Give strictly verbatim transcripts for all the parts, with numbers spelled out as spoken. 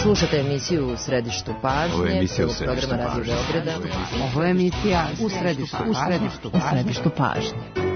Slušate emisiju U središtu pažnje. Ovo je emisija U središtu pažnje. Ovo je emisija U središtu pažnje. U središtu pažnje.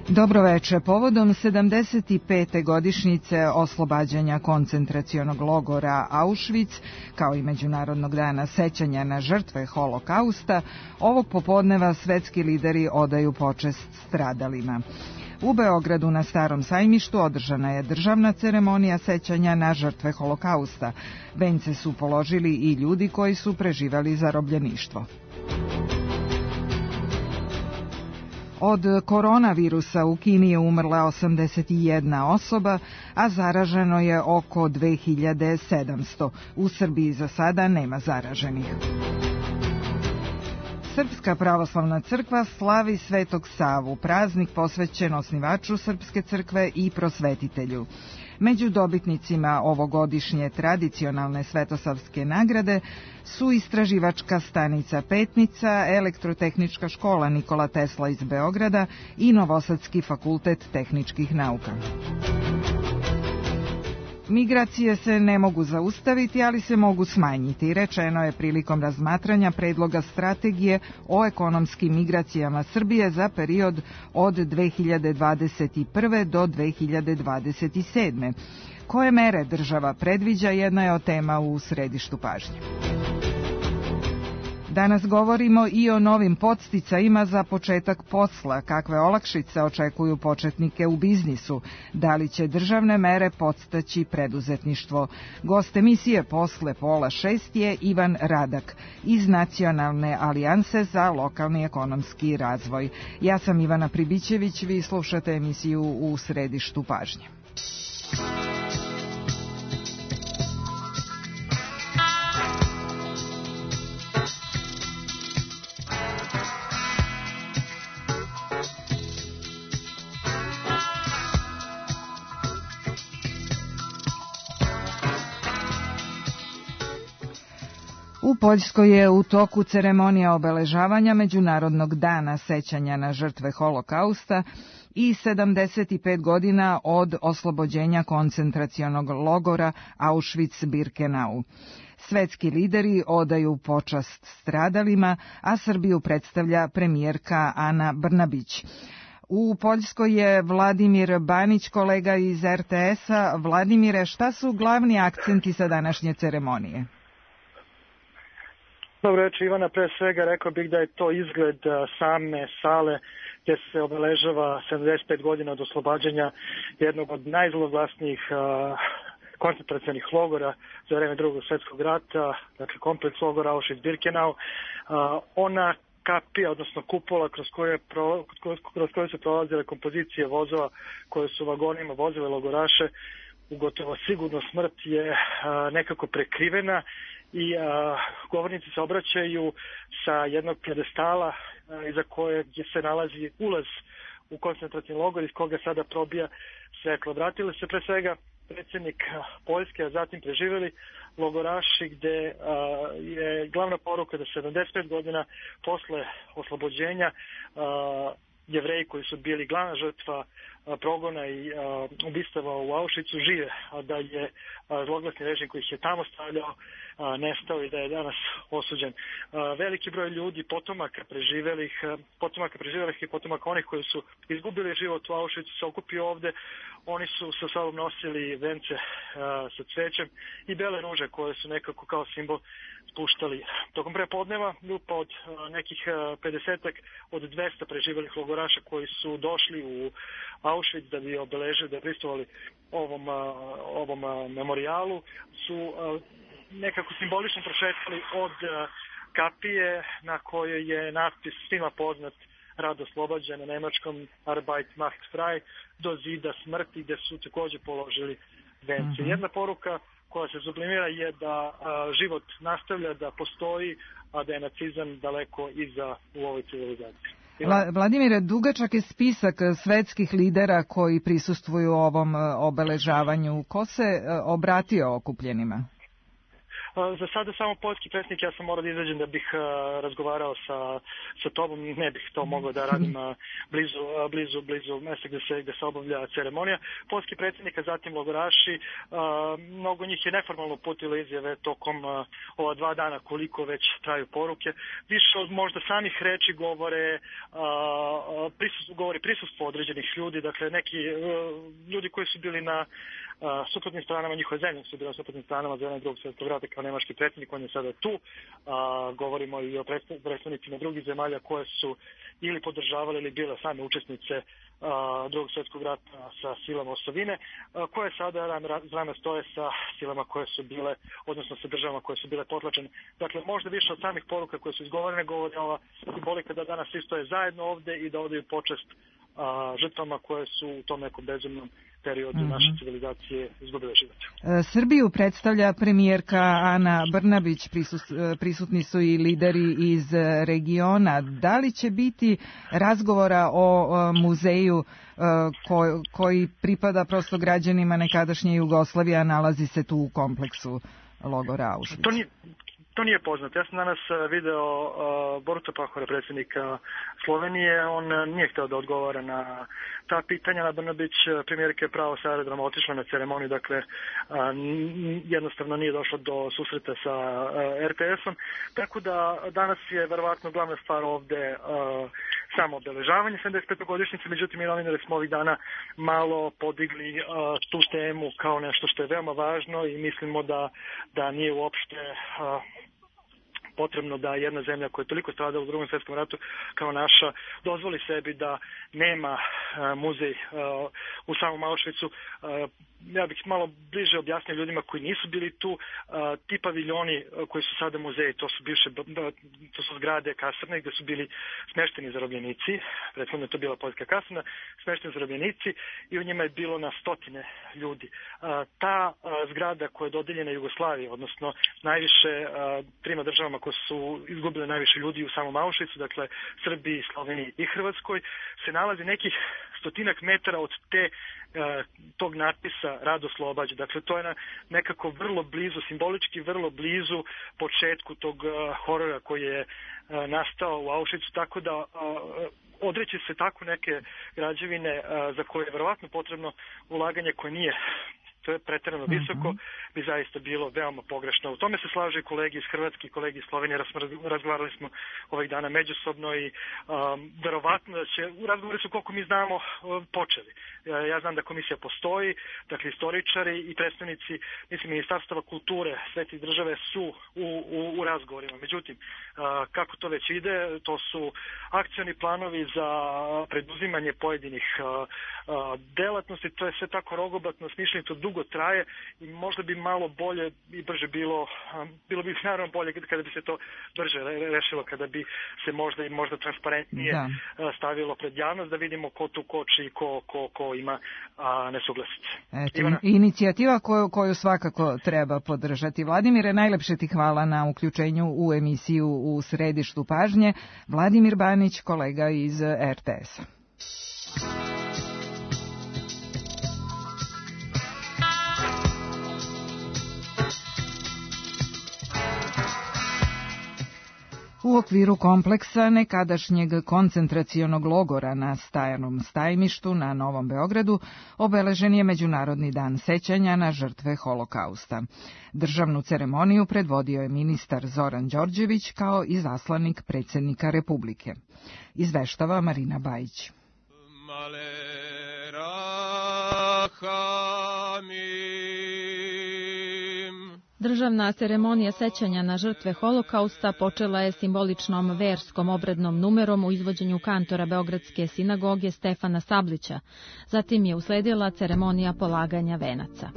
Dobroveče. Povodom sedamdeset pete godišnjice oslobađanja koncentracionog logora Auschwitz, kao i Međunarodnog dana sećanja na žrtve Holokausta, ovog popodneva svetski lideri odaju počest stradalima. U Beogradu na Starom sajmištu održana je državna ceremonija sećanja na žrtve Holokausta. Vence su položili i ljudi koji su preživali zarobljeništvo. Od koronavirusa u Kini je umrla osamdeset jedna osoba, a zaraženo je oko dve hiljade sedamsto. U Srbiji za sada nema zaraženih. Srpska pravoslavna crkva slavi Svetog Savu, praznik posvećen osnivaču Srpske crkve i prosvetitelju. Među dobitnicima ovogodišnje tradicionalne svetosavske nagrade su istraživačka stanica Petnica, Elektrotehnička škola Nikola Tesla iz Beograda i Novosadski fakultet tehničkih nauka. Migracije se ne mogu zaustaviti, ali se mogu smanjiti, rečeno je prilikom razmatranja predloga strategije o ekonomskim migracijama Srbije za period od dve hiljade dvadeset prve do dve hiljade dvadeset sedme. Koje mere država predviđa, jedna je od tema u središtu pažnje. Danas govorimo i o novim podsticajima za početak posla, kakve olakšice očekuju početnike u biznisu, da li će državne mere podstaći preduzetništvo. Gost emisije posle pola šest je Ivan Radak iz Nacionalne alijanse za lokalni ekonomski razvoj. Ja sam Ivana Pribićević, vi slušate emisiju U središtu pažnje. U Poljskoj je u toku ceremonija obeležavanja Međunarodnog dana sećanja na žrtve Holokausta i sedamdeset pet godina od oslobođenja koncentracionog logora Auschwitz-Birkenau. Svetski lideri odaju počast stradalima, a Srbiju predstavlja premijerka Ana Brnabić. U Poljskoj je Vladimir Banić, kolega iz er te es-a. Vladimire, šta su glavni akcenti sa današnje ceremonije? Dobro reći, Ivana, pre svega rekao bih da je to izgled same sale gdje se obeležava sedamdeset pet godina od oslobađanja jednog od najzloglasnijih koncentracionih logora za vreme Drugog svjetskog rata, dakle kompleks logora Auschwitz-Birkenau. Ona kapija, odnosno kupola kroz koje, pro, kroz koje su prolazile kompozicije vozova koje su vagonima vozile logoraše, u gotovo sigurno smrt je nekako prekrivena i a, govornici se obraćaju sa jednog pjedestala a, iza kojeg se nalazi ulaz u koncentracijni logor iz koga sada probija svetlo. Vratili se pre svega predsjednik Poljske, a zatim preživjeli logoraši, gde a, je glavna poruka da sedamdeset pet godina posle oslobođenja a, Jevreji koji su bili glavna žrtva a, progona i a, ubistava u Auschwitzu žive, a da je a, zloglasni režim koji ih je tamo stavljao a, nestao i da je danas osuđen. A, veliki broj ljudi, potomaka preživelih, a, potomaka preživelih i potomaka onih koji su izgubili život u Auschwitzu se okupio ovde. Oni su sa sobom nosili vence a, sa cvećem i bele ruže koje su nekako kao simbol spuštali. Tokom prepodneva grupa od a, nekih pedesetak od dvesta preživelih logoraša koji su došli u Auschwitz da bi obeležili, da pristovali ovom, ovom memorijalu, su nekako simbolično prošetali od kapije na kojoj je natpis svima poznat Rad oslobađen na nemačkom Arbeit macht frei do zida smrti, gde su takođe položili vence. Mm-hmm. Jedna poruka koja se sublimira je da a, život nastavlja, da postoji, a da je nacizam daleko iza u ovoj civilizaciji. Vla, Vladimire, dugačak je spisak svetskih lidera koji prisustvuju ovom obeležavanju. Ko se obratio okupljenima? Za sada samo poljski predsjednik, ja sam morao da izađem da bih uh, razgovarao sa, sa tobom, ne bih to mogao da radim uh, blizu, uh, blizu, blizu mesta gde se, gde se obavlja ceremonija. Poljski predsjednik, a zatim logoraši, uh, mnogo njih je neformalno uputilo izjave tokom uh, ova dva dana koliko već traju poruke. Više od možda samih reči govore, uh, prisustvo, govori prisustvo određenih ljudi, dakle neki uh, ljudi koji su bili na Uh, suprotnim stranama, njihove zemlje su bile na suprotnim stranama za drugog svjetskog rata kao nemački predsjednik, on je sada tu. Uh, govorimo i o predstavnicima drugih zemalja koje su ili podržavale ili bile same učesnice uh, drugog svjetskog rata sa silama osovine, uh, koje sada rame stoje sa silama koje su bile, odnosno sa državama koje su bile potlačene. Dakle, možda više od samih poruka koje su izgovorene govori ova simbolika da danas svi stoje zajedno ovde i da odaju počest uh, žrtvama koje su u tom nekom bezumnom periodu mm-hmm. naše civilizacije izgubile život. Srbiju predstavlja premijerka Ana Brnabić, prisutni su i lideri iz regiona. Da li će biti razgovora o muzeju koji pripada prosto građanima nekadašnje Jugoslavije, a nalazi se tu u kompleksu logora Auschwitz? To nije, to nije poznato. Ja sam danas video uh, Boruta Pahora, predsjednika Slovenije. On nije hteo da odgovara na ta pitanja. Ana Brnabić, premijerka je pravo sa aerodroma otišla na ceremoniju, dakle uh, jednostavno nije došlo do susreta sa uh, er te esom. Tako da danas je verovatno glavna stvar ovde uh, samo obeležavanje sedamdeset pete godišnjice, međutim i novinari smo ovih dana malo podigli uh, tu temu kao nešto što je veoma važno i mislimo da, da nije uopšte uh, potrebno da jedna zemlja koja je toliko stradala u drugom svjetskom ratu kao naša dozvoli sebi da nema uh, muzej uh, u samom Auschwitzu. Uh, ja bih malo bliže objasnio ljudima koji nisu bili tu. Uh, ti paviljoni uh, koji su sada muzeji, to su bivše, to su zgrade kasarne gde su bili smešteni zarobljenici. Prethodno je to bila poljska kasarna, smešteni zarobljenici i u njima je bilo na stotine ljudi. Uh, ta uh, zgrada koja je dodeljena Jugoslaviji, odnosno najviše uh, trima državama koje su izgubile najviše ljudi u samom Auschwitzu, dakle Srbiji, Sloveniji i Hrvatskoj, se nalazi nekih stotinak metara od te tog natpisa Rad oslobađa. Dakle, to je nekako vrlo blizu, simbolički vrlo blizu početku tog horora koji je nastao u Auschwitzu, tako da odreći se tako neke građevine za koje je verovatno potrebno ulaganje koje nije to je pretjerano visoko, bi zaista bilo veoma pogrešno. U tome se slažu i kolegi iz Hrvatske i kolegi iz Slovenije, razgovarali smo ovih dana međusobno i um, verovatno da će, u razgovori su koliko mi znamo počeli. Ja, ja znam da komisija postoji, dakle istoričari i predstavnici, mislim, ministarstava kulture svetih države su u, u, u razgovorima. Međutim, uh, kako to već ide, to su akcioni planovi za preduzimanje pojedinih uh, uh, delatnosti, to je sve tako rogobatno, smišljenito, dugo traje i možda bi malo bolje i brže bilo, bilo bi naravno bolje kada bi se to brže rešilo, kada bi se možda i možda transparentnije da. stavilo pred javnost da vidimo ko tu koči i ko, ko, ko ima a, nesuglasice. Eto, inicijativa koju, koju svakako treba podržati. Vladimire, najlepše ti hvala na uključenju u emisiju U središtu pažnje. Vladimir Banić, kolega iz er te esa. U okviru kompleksa nekadašnjeg koncentracionog logora na Stajanom Stajmištu na Novom Beogradu obeležen je Međunarodni dan sećanja na žrtve Holokausta. Državnu ceremoniju predvodio je ministar Zoran Đorđević kao i zaslanik predsjednika Republike. Izveštava Marina Bajić. Državna ceremonija sećanja na žrtve Holokausta počela je simboličnom verskom obrednom numerom u izvođenju kantora Beogradske sinagoge Stefana Sablića. Zatim je usledila ceremonija polaganja venaca.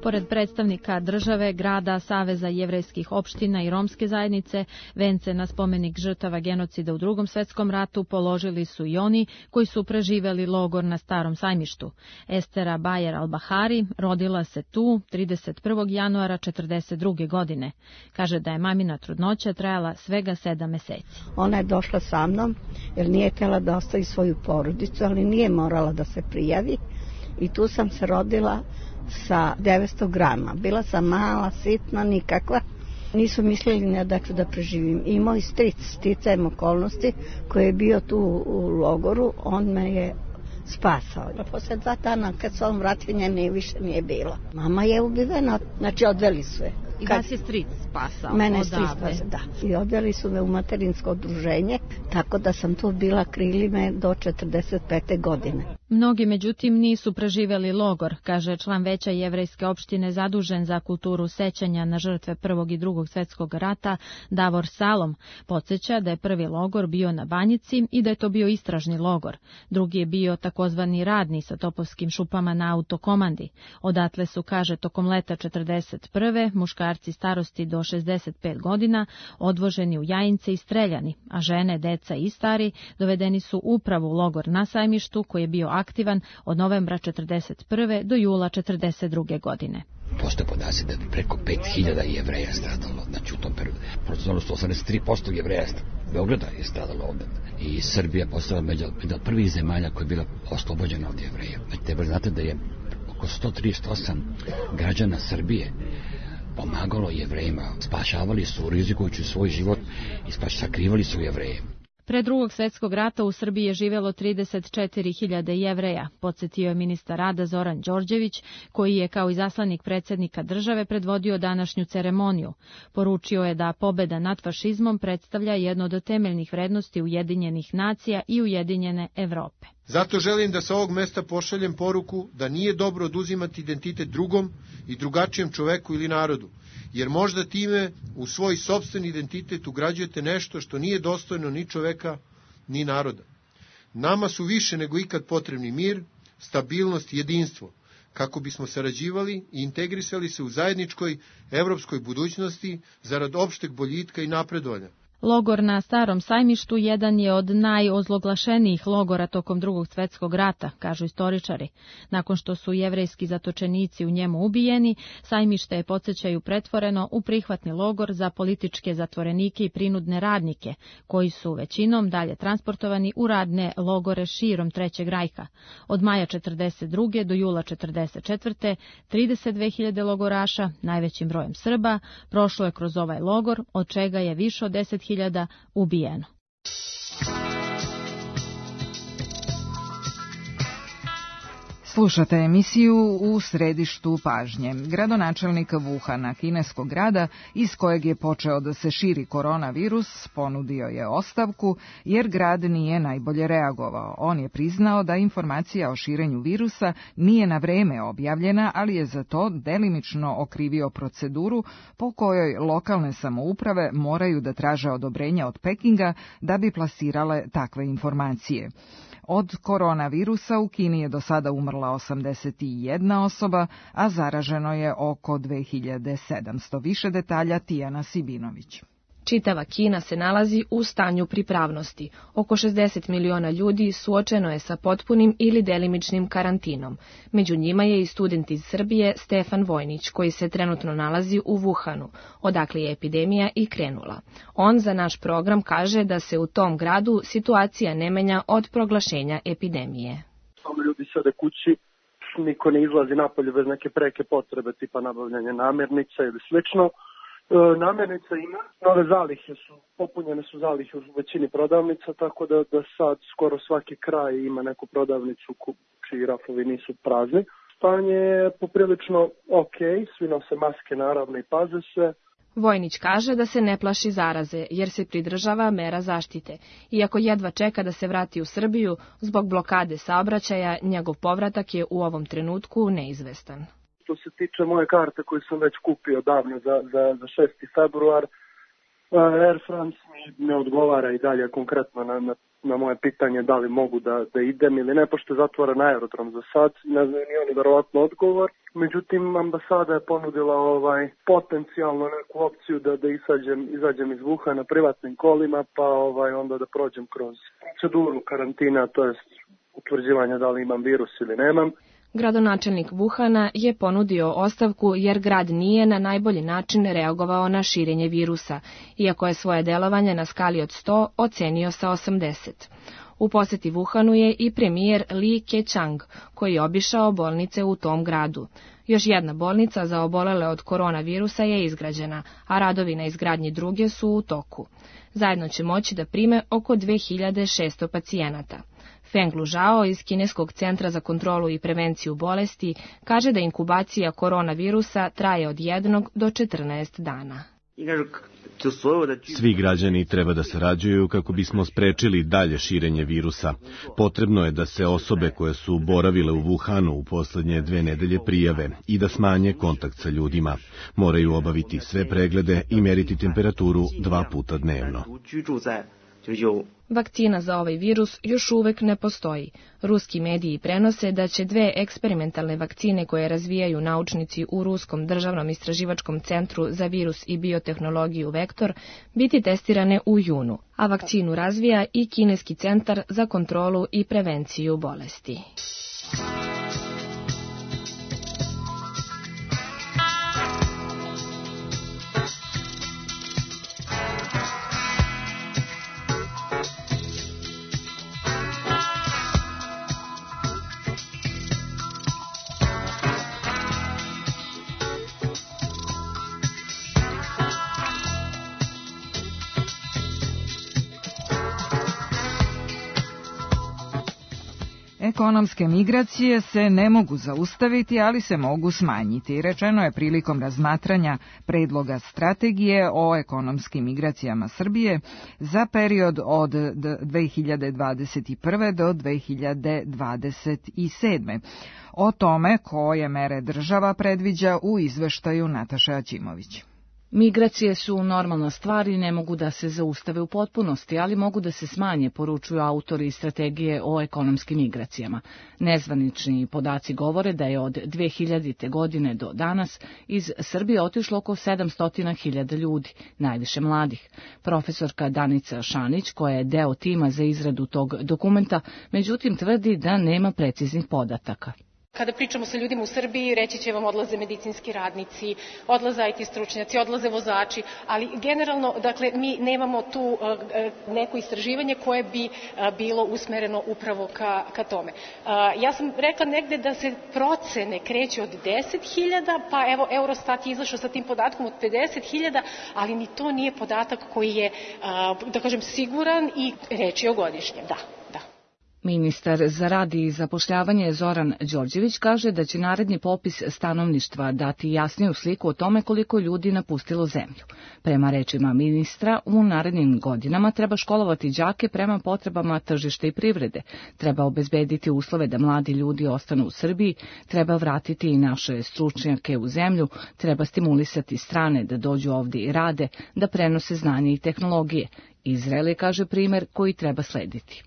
Pored predstavnika države, grada, Saveza jevrejskih opština i romske zajednice, vence na spomenik žrtava genocida u Drugom svetskom ratu položili su i oni koji su preživeli logor na Starom sajmištu. Estera Bajer Al-Bahari rodila se tu trideset prvog januara četrdeset druge godine. Kaže da je mamina trudnoća trajala svega sedam meseci. Ona je došla sa mnom jer nije htjela da ostavi svoju porodicu, ali nije morala da se prijavi i tu sam se rodila sa devetsto grama. Bila sam mala, sitna, nikakva. Nisu mislili ne da ću da preživim. I moj stric, sticajem okolnosti, koji je bio tu u logoru, on me je spasao. Posle dva dana, kad se on vratio, nje više nije bilo. Mama je ubivena, znači odveli su je. I vas je stric spasao? Mene je stric spasao, da. I odveli su me u materinsko udruženje, tako da sam tu bila krilime do četrdeset pete godine. Mnogi, međutim, nisu preživeli logor, kaže član veća jevrejske opštine zadužen za kulturu sećanja na žrtve Prvog i Drugog svetskog rata, Davor Salom. Podsjeća da je prvi logor bio na Banjici i da je to bio istražni logor. Drugi je bio takozvani radni sa topovskim šupama na autokomandi. Odatle su, kaže, tokom leta četrdeset prve muškarci starosti do šezdeset pet godina odvoženi u Jajince i streljani, a žene, deca i stari dovedeni su upravo u logor na Sajmištu koji je bio aktivan od novembra četrdeset prve do jula četrdeset druge godine. Postoje podaci da je preko pet hiljada Jevreja stradalo, znači u tom periodu. Procentualno sto osamdeset tri posto Jevreja Beograda je stradalo ovdje. I Srbija postala među od prvih zemalja koja je bila oslobođena od Jevreja. Znači, treba znate da je oko sto trideset osam građana Srbije pomagalo Jevrejima, spašavali su, rizikujući svoj život i spaš, sakrivali su Jevreje. Pre Drugog svjetskog rata u Srbiji je živjelo trideset četiri hiljade Jevreja, podsjetio je ministar rada Zoran Đorđević, koji je kao izaslanik predsjednika države predvodio današnju ceremoniju. Poručio je da pobjeda nad fašizmom predstavlja jedno od temeljnih vrednosti Ujedinjenih nacija i Ujedinjene Evrope. Zato želim da sa ovog mesta pošaljem poruku da nije dobro oduzimati identitet drugom i drugačijem čoveku ili narodu, jer možda time u svoj sopstveni identitet ugrađujete nešto što nije dostojno ni čoveka, ni naroda. Nama su više nego ikad potrebni mir, stabilnost i jedinstvo, kako bismo sarađivali i integrisali se u zajedničkoj evropskoj budućnosti zarad opšteg boljitka i napredovanja. Logor na Starom sajmištu jedan je od najozloglašenijih logora tokom Drugog svjetskog rata, kažu istoričari. Nakon što su jevrejski zatočenici u njemu ubijeni, sajmište je, podsjećaju, pretvoreno u prihvatni logor za političke zatvorenike i prinudne radnike, koji su većinom dalje transportovani u radne logore širom Trećeg rajha. Od maja četrdeset druge do jula četrdeset četvrte trideset dve hiljade logoraša, najvećim brojem Srba, prošlo je kroz ovaj logor, od čega je više od deset hiljada ubijeno. Slušate emisiju U središtu pažnje. Gradonačelnik Wuhana, kineskog grada, iz kojeg je počeo da se širi koronavirus, ponudio je ostavku jer grad nije najbolje reagovao. On je priznao da informacija o širenju virusa nije na vreme objavljena, ali je za to delimično okrivio proceduru po kojoj lokalne samouprave moraju da traže odobrenja od Pekinga da bi plasirale takve informacije. Od koronavirusa u Kini je do sada umrla osamdeset jedna osoba, a zaraženo je oko dve hiljade sedamsto. Više detalja Tijana Sibinović. Čitava Kina se nalazi u stanju pripravnosti. Oko šezdeset miliona ljudi suočeno je sa potpunim ili delimičnim karantinom. Među njima je i student iz Srbije Stefan Vojnić, koji se trenutno nalazi u Wuhanu, odakle je epidemija i krenula. On za naš program kaže da se u tom gradu situacija ne menja od proglašenja epidemije. Samo ljudi sede kući, niko ne izlazi napolje bez neke preke potrebe, tipa nabavljanje namirnica ili slično. Namirnica ima, nove zalihe su, popunjene su zalihe u većini prodavnica, tako da, da sad skoro svaki kraj ima neku prodavnicu čiji rafovi nisu prazni. Stanje je poprilično ok, svi nose maske naravno i paze se. Vojnić kaže da se ne plaši zaraze, jer se pridržava mera zaštite. Iako jedva čeka da se vrati u Srbiju, zbog blokade saobraćaja, njegov povratak je u ovom trenutku neizvestan. što se tiče moje karte koju sam već kupio davno za, za, za šesti februar, Air France mi ne odgovara i dalje konkretno na, na, na moje pitanje da li mogu da, da idem ili ne, pošto je zatvoren aerodrom za sad, ne znaju ni oni verovatno odgovor. Međutim, ambasada je ponudila ovaj potencijalno neku opciju da, da izađem, izađem iz Wuhana privatnim kolima, pa ovaj onda da prođem kroz proceduru karantina, to jest utvrđivanja da li imam virus ili nemam. Gradonačelnik Wuhana je ponudio ostavku jer grad nije na najbolji način reagovao na širenje virusa, iako je svoje delovanje na skali od sto ocenio sa osamdeset. U poseti Wuhanu je i premijer Li Keqiang, koji je obišao bolnice u tom gradu. Još jedna bolnica za obolele od koronavirusa je izgrađena, a radovi na izgradnji druge su u toku. Zajedno će moći da prime oko dve hiljade šesto pacijenata. Feng Luzhao iz Kineskog centra za kontrolu i prevenciju bolesti kaže da inkubacija koronavirusa traje od jednog do četrnaest dana. Svi građani treba da sarađuju kako bismo sprečili dalje širenje virusa. Potrebno je da se osobe koje su boravile u Wuhanu u poslednje dve nedelje prijave i da smanje kontakt sa ljudima. Moraju obaviti sve preglede i meriti temperaturu dva puta dnevno. Vakcina za ovaj virus još uvek ne postoji. Ruski mediji prenose da će dve eksperimentalne vakcine koje razvijaju naučnici u Ruskom državnom istraživačkom centru za virus i biotehnologiju Vektor biti testirane u junu, a vakcinu razvija i Kineski centar za kontrolu i prevenciju bolesti. Ekonomske migracije se ne mogu zaustaviti, ali se mogu smanjiti, rečeno je prilikom razmatranja predloga strategije o ekonomskim migracijama Srbije za period od dve hiljade dvadeset prve do dve hiljade dvadeset sedme. O tome koje mere država predviđa u izveštaju Nataše Aćimović. Migracije su normalna stvar i ne mogu da se zaustave u potpunosti, ali mogu da se smanje, poručuju autori strategije o ekonomskim migracijama. Nezvanični podaci govore da je od dve hiljadite. godine do danas iz Srbije otišlo oko sedamsto hiljada ljudi, najviše mladih. Profesorka Danica Šanić, koja je deo tima za izradu tog dokumenta, međutim tvrdi da nema preciznih podataka. Kada pričamo sa ljudima u Srbiji, reći će vam odlaze medicinski radnici, odlaze I T stručnjaci, odlaze vozači, ali generalno, dakle, mi nemamo tu uh, neko istraživanje koje bi uh, bilo usmereno upravo ka, ka tome. Uh, ja sam rekla negde da se procene kreće od deset hiljada, pa evo Eurostat je izašao sa tim podatkom od pedeset hiljada, ali ni to nije podatak koji je, uh, da kažem, siguran i reč je o godišnjem, da. Ministar za rad i zapošljavanje Zoran Đorđević kaže da će naredni popis stanovništva dati jasniju sliku o tome koliko ljudi napustilo zemlju. Prema rečima ministra, u narednim godinama treba školovati đake prema potrebama tržišta i privrede, treba obezbediti uslove da mladi ljudi ostanu u Srbiji, treba vratiti i naše stručnjake u zemlju, treba stimulisati strane da dođu ovdje i rade, da prenose znanje i tehnologije. Izrael je, kaže, primer koji treba slediti.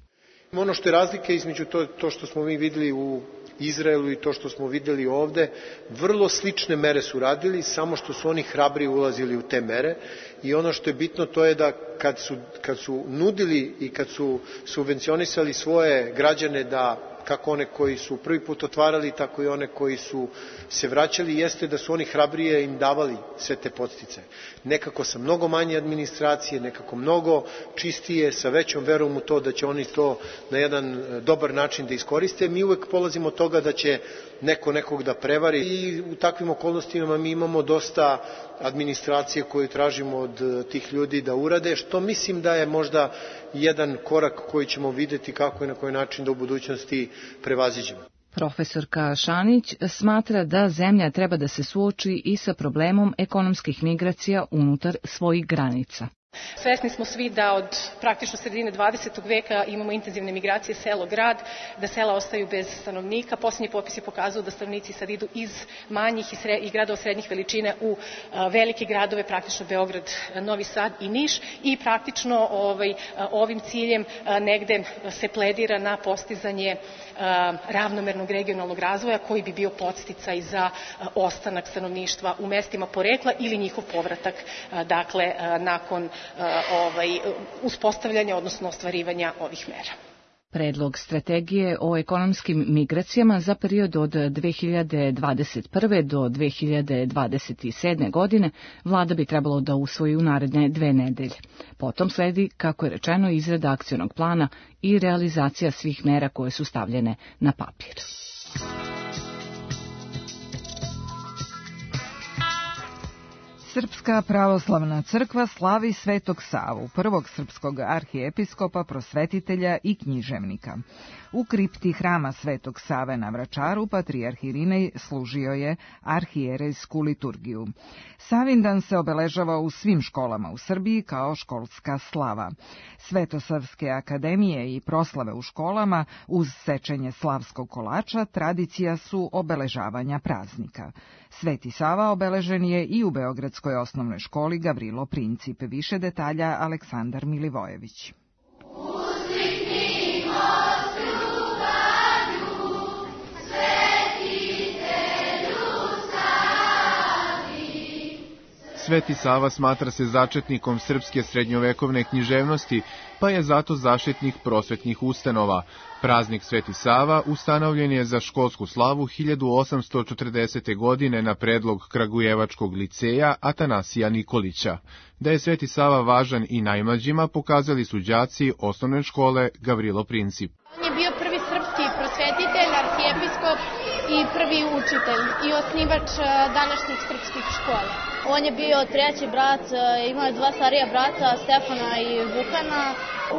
Ono što je razlika između to, to što smo mi videli u Izraelu i to što smo videli ovde, vrlo slične mere su radili, samo što su oni hrabri ulazili u te mere i ono što je bitno to je da kad su, kad su nudili i kad su subvencionisali svoje građane da kako one koji su prvi put otvarali, tako i one koji su se vraćali, jeste da su oni hrabrije im davali sve te podsticaje. Nekako sa mnogo manje administracije, nekako mnogo čistije, sa većom verom u to da će oni to na jedan dobar način da iskoriste. Mi uvek polazimo od toga da će neko nekog da prevari i u takvim okolnostima mi imamo dosta administracije koju tražimo od tih ljudi da urade, što mislim da je možda jedan korak koji ćemo videti kako i na koji način da u budućnosti prevaziđemo. Profesorka Šanić smatra da zemlja treba da se suoči i sa problemom ekonomskih migracija unutar svojih granica. Svesni smo svi da od praktično sredine dvadesetog veka imamo intenzivne migracije selo-grad, da sela ostaju bez stanovnika. Posljednji popis je pokazao da stanovnici sad idu iz manjih i, sred, i gradova srednjih veličine u a, velike gradove, praktično Beograd, Novi Sad i Niš, i praktično ovaj, a, ovim ciljem a, negde se pledira na postizanje a, ravnomernog regionalnog razvoja koji bi bio podsticaj za a, ostanak stanovništva u mestima porekla ili njihov povratak, a, dakle, a, nakon ovaj, uspostavljanja, odnosno ostvarivanja ovih mera. Predlog strategije o ekonomskim migracijama za period od dve hiljade dvadeset prve do dve hiljade dvadeset sedme godine vlada bi trebalo da usvoji u naredne dve nedelje. Potom sledi, kako je rečeno, izrada akcionog plana i realizacija svih mera koje su stavljene na papir. Srpska pravoslavna crkva slavi Svetog Savu, prvog srpskog arhijepiskopa, prosvetitelja i književnika. U kripti hrama Svetog Save na Vračaru patrijarh Irinej služio je arhijerejsku liturgiju. Savindan se obeležava u svim školama u Srbiji kao školska slava. Svetosavske akademije i proslave u školama uz sečenje slavskog kolača tradicija su obeležavanja praznika. Sveti Sava obeležen je i u Beogradskoj osnovnoj školi Gavrilo Princip. Više detalja Aleksandar Milivojević. Sveti Sava smatra se začetnikom srpske srednjovekovne književnosti, pa je zato zaštitnik prosvetnih ustanova. Praznik Sveti Sava ustanovljen je za školsku slavu hiljadu osamsto četrdesete. godine na predlog Kragujevačkog liceja Atanasija Nikolića. Da je Sveti Sava važan i najmlađima pokazali su đaci osnovne škole Gavrilo Princip. On je bio prvi srpski prosvetitelj, arhijepiskop i prvi učitelj i osnivač današnjih srpskih škola. On je bio treći brat, imao je dva starija brata, Stefana i Vukana.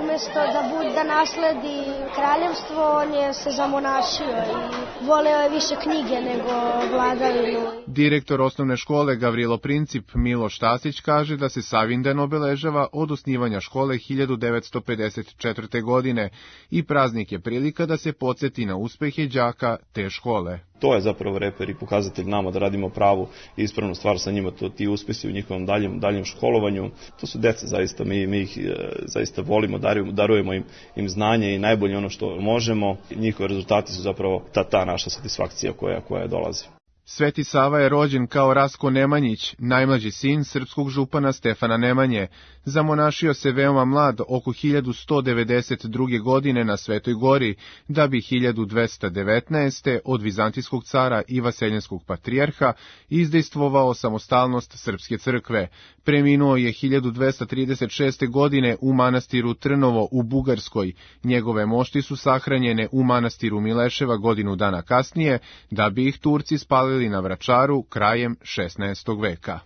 Umesto da bude da nasledi kraljevstvo, on je se zamonašio i voleo je više knjige nego vladavinu. Direktor osnovne škole Gavrilo Princip Miloš Tasić kaže da se Savindan obeležava od osnivanja škole hiljadu devetsto pedeset četvrte. godine i praznik je prilika da se podsjeti na uspehe đaka te škole. To je zapravo reper i pokazatelj nama da radimo pravu i ispravnu stvar sa njima, to ti uspesi u njihovom daljem, daljem školovanju. To su deca zaista, mi, mi ih e, zaista volimo, darujemo, darujemo im, im znanje i najbolje ono što možemo. Njihovi rezultati su zapravo ta, ta naša satisfakcija koja, koja dolazi. Sveti Sava je rođen kao Rasko Nemanjić, najmlađi sin srpskog župana Stefana Nemanje. Zamonašio se veoma mlad, oko hiljadu sto devedeset druge. godine na Svetoj Gori, da bi hiljadu dvesta devetnaeste. od vizantijskog cara i vaseljenskog patrijarha izdejstvovao samostalnost srpske crkve. Preminuo je hiljadu dvesta trideset šeste. godine u manastiru Trnovo u Bugarskoj. Njegove mošti su sahranjene u manastiru Mileševa godinu dana kasnije, da bi ih Turci spalili na Vračaru krajem šesnaestog. veka.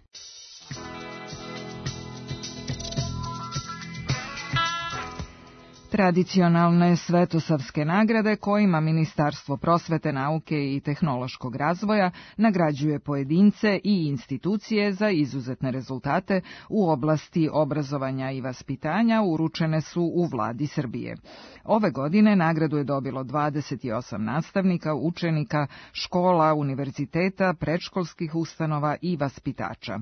Tradicionalne svetosavske nagrade kojima Ministarstvo prosvete, nauke i tehnološkog razvoja nagrađuje pojedince i institucije za izuzetne rezultate u oblasti obrazovanja i vaspitanja uručene su u vladi Srbije. Ove godine nagradu je dobilo dvadeset osam nastavnika, učenika, škola, univerziteta, predškolskih ustanova i vaspitača.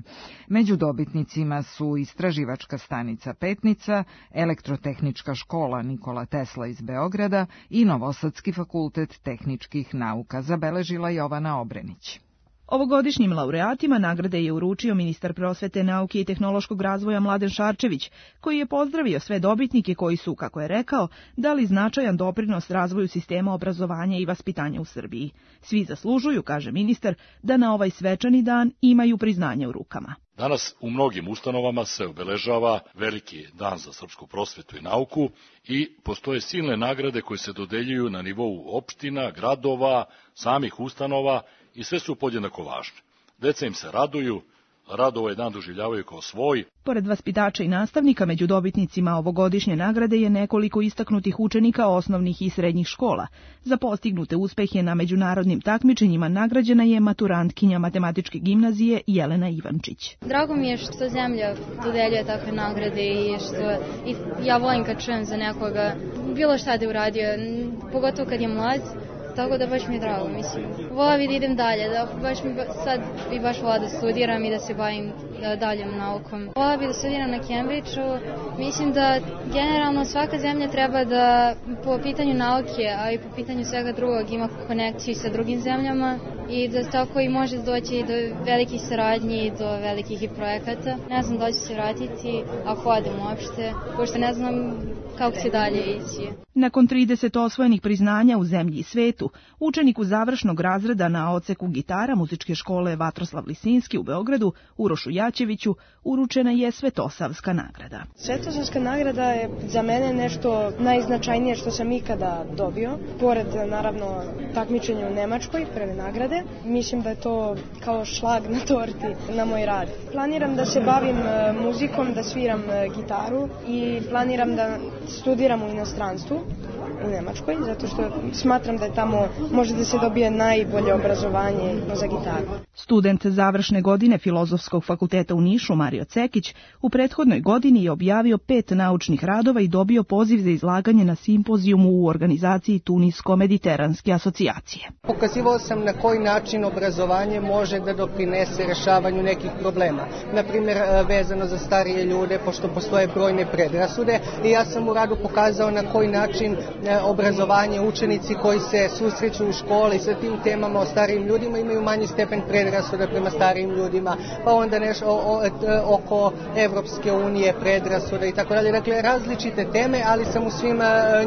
Među dobitnicima su Istraživačka stanica Petnica, Elektrotehnička škola Nikola Tesla iz Beograda i Novosadski fakultet tehničkih nauka, zabeležila Jovana Obrenić. Ovogodišnjim laureatima nagrade je uručio ministar prosvete, nauke i tehnološkog razvoja Mladen Šarčević, koji je pozdravio sve dobitnike koji su, kako je rekao, dali značajan doprinos razvoju sistema obrazovanja i vaspitanja u Srbiji. Svi zaslužuju, kaže ministar, da na ovaj svečani dan imaju priznanje u rukama. Danas u mnogim ustanovama se obeležava veliki dan za srpsku prosvetu i nauku i postoje silne nagrade koje se dodeljuju na nivou opština, gradova, samih ustanova i sve su podjednako važne. Deca im se raduju, rado ovaj dan doživljavaju kao svoj. Pored vaspitača i nastavnika, među dobitnicima ovogodišnje nagrade je nekoliko istaknutih učenika osnovnih i srednjih škola. Za postignute uspehe na međunarodnim takmičenjima nagrađena je maturantkinja matematičke gimnazije Jelena Ivančić. Drago mi je što zemlja dodeljuje takve nagrade i što i ja volim kad čujem za nekoga bilo šta da je uradio, pogotovo kad je mlad. Tako da baš mi je drago, mislim. Vola bi da idem dalje, da baš mi sad bi baš vola da studiram i da se bavim daljom naukom. Vola bi da studiram na Cambridgeu. Mislim da generalno svaka zemlja treba da po pitanju nauke, a i po pitanju svega drugog ima konekciju sa drugim zemljama i da tako i može doći do velikih saradnji i do velikih i projekata. Ne znam da ću se vratiti ako odem uopšte, pošto ne znam kako će dalje ići. Nakon trideset osvojenih priznanja u zemlji i svetu, učeniku završnog razreda na odseku gitara muzičke škole Vatroslav Lisinski u Beogradu, Urošu Jaćeviću, uručena je Svetosavska nagrada. Svetosavska nagrada je za mene nešto najznačajnije što sam ikada dobio. Pored, naravno, takmičenja u Nemačkoj, prve nagrade, mislim da je to kao šlag na torti na moj rad. Planiram da se bavim muzikom, da sviram gitaru i planiram da studiram u inostranstvu, u Nemačkoj, zato što smatram da je tamo može da se dobije najbolje obrazovanje za gitaru. Student završne godine Filozofskog fakulteta u Nišu, Mario Cekić, u prethodnoj godini je objavio pet naučnih radova i dobio poziv za izlaganje na simpozijumu u organizaciji Tunisko-Mediteranske asocijacije. Pokazivao sam na koji način obrazovanje može da doprinese rešavanju nekih problema. Naprimjer, vezano za starije ljude, pošto postoje brojne predrasude, i ja sam u radu pokazao na koji način obrazovanje, učenici koji se susreću u školi sa tim temama o starijim ljudima imaju manji stepen predrasuda prema starijim ljudima, pa onda nešto o, o, oko Evropske unije, predrasuda i tako dalje. Dakle, različite teme, ali sam u svim